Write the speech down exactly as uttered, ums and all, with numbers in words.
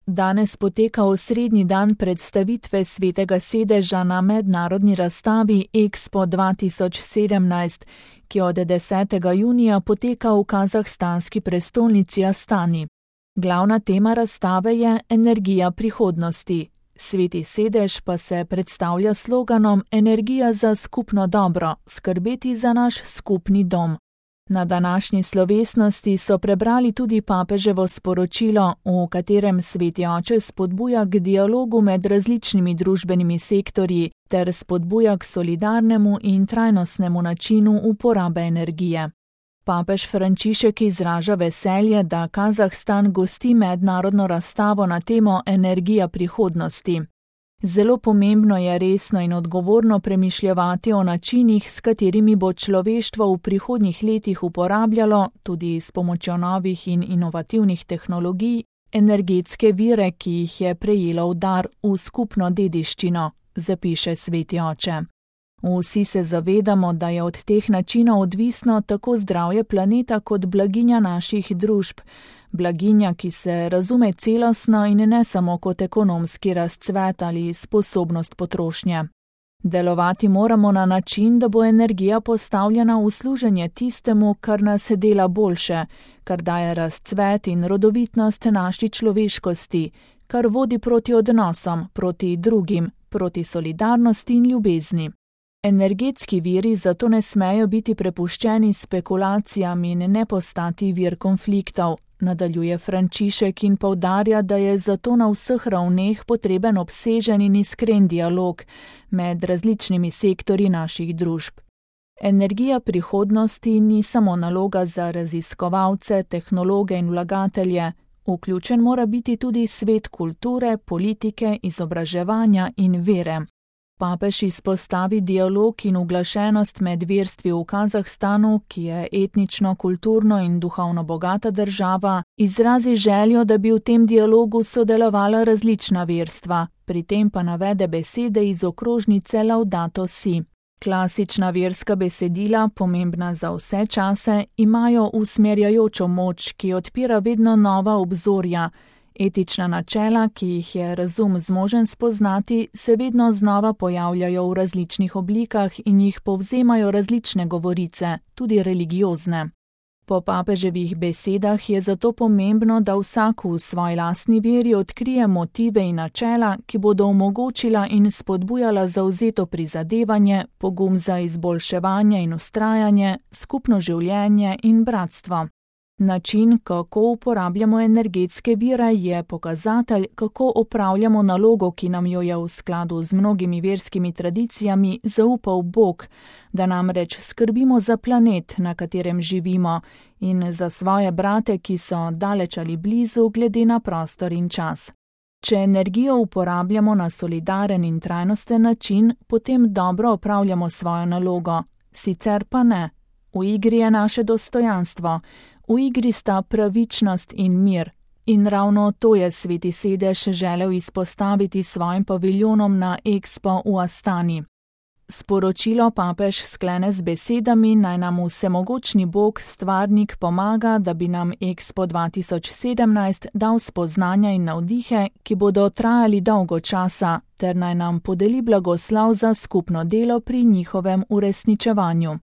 Danes poteka osrednji dan predstavitve Svetega sedeža na mednarodni razstavi Expo dva tisoč sedemnajst, ki od desetega junija poteka v kazahstanski prestolnici Astani. Glavna tema razstave je energija prihodnosti. Sveti sedež pa se predstavlja sloganom Energija za skupno dobro, skrbeti za naš skupni dom. Na današnji slovesnosti so prebrali tudi papeževo sporočilo, v katerem Sveti oče spodbuja k dialogu med različnimi družbenimi sektorji ter spodbuja k solidarnemu in trajnostnemu načinu uporabe energije. Papež Frančišek izraža veselje, da Kazahstan gosti mednarodno razstavo na temo Energija prihodnosti. Zelo pomembno je resno in odgovorno premišljevati o načinih, s katerimi bo človeštvo v prihodnjih letih uporabljalo, tudi s pomočjo novih in inovativnih tehnologij, energetske vire, ki jih je prejelo v dar v skupno dediščino, zapiše Sveti oče. Vsi se zavedamo, da je od teh načinov odvisno tako zdravje planeta kot blaginja naših družb, blaginja, ki se razume celostno in ne samo kot ekonomski razcvet ali sposobnost potrošnje. Delovati moramo na način, da bo energija postavljena v služenje tistemu, kar nas dela boljše, kar daje razcvet in rodovitnost naši človeškosti, kar vodi proti odnosom, proti drugim, proti solidarnosti in ljubezni. Energetski viri zato ne smejo biti prepuščeni spekulacijam in ne postati vir konfliktov, nadaljuje Frančišek in poudarja, da je zato na vseh ravneh potreben obsežen in iskren dialog med različnimi sektorji naših družb. Energija prihodnosti ni samo naloga za raziskovalce, tehnologe in vlagatelje, vključen mora biti tudi svet kulture, politike, izobraževanja in vere. Papež izpostavi dialog in uglašenost med verstvi v Kazahstanu, ki je etnično, kulturno in duhovno bogata država, izrazi željo, da bi v tem dialogu sodelovala različna verstva, pri tem pa navede besede iz okrožnice Laudato Si. Klasična verska besedila, pomembna za vse čase, imajo usmerjajočo moč, ki odpira vedno nova obzorja. Etična načela, ki jih je razum zmožen spoznati, se vedno znova pojavljajo v različnih oblikah in jih povzemajo različne govorice, tudi religiozne. Po papeževih besedah je zato pomembno, da vsak v svoji lastni veri odkrije motive in načela, ki bodo omogočila in spodbujala zavzeto prizadevanje, pogum za izboljševanje in vztrajanje, skupno življenje in bratstvo. Način, kako uporabljamo energetske vire, je pokazatelj, kako opravljamo nalogo, ki nam jo je v skladu z mnogimi verskimi tradicijami zaupal Bog, da namreč skrbimo za planet, na katerem živimo, in za svoje brate, ki so daleč ali blizu glede na prostor in čas. Če energijo uporabljamo na solidaren in trajnosten način, potem dobro opravljamo svojo nalogo, sicer pa ne. V igri je naše dostojanstvo. V igri sta pravičnost in mir, in ravno to je Sveti sedež želel izpostaviti svojim paviljonom na Expo v Astani. Sporočilo papež sklene z besedami, naj nam vsemogočni Bog, stvarnik, pomaga, da bi nam Expo dva tisoč sedemnajst dal spoznanja in navdihe, ki bodo trajali dolgo časa, ter naj nam podeli blagoslov za skupno delo pri njihovem uresničevanju.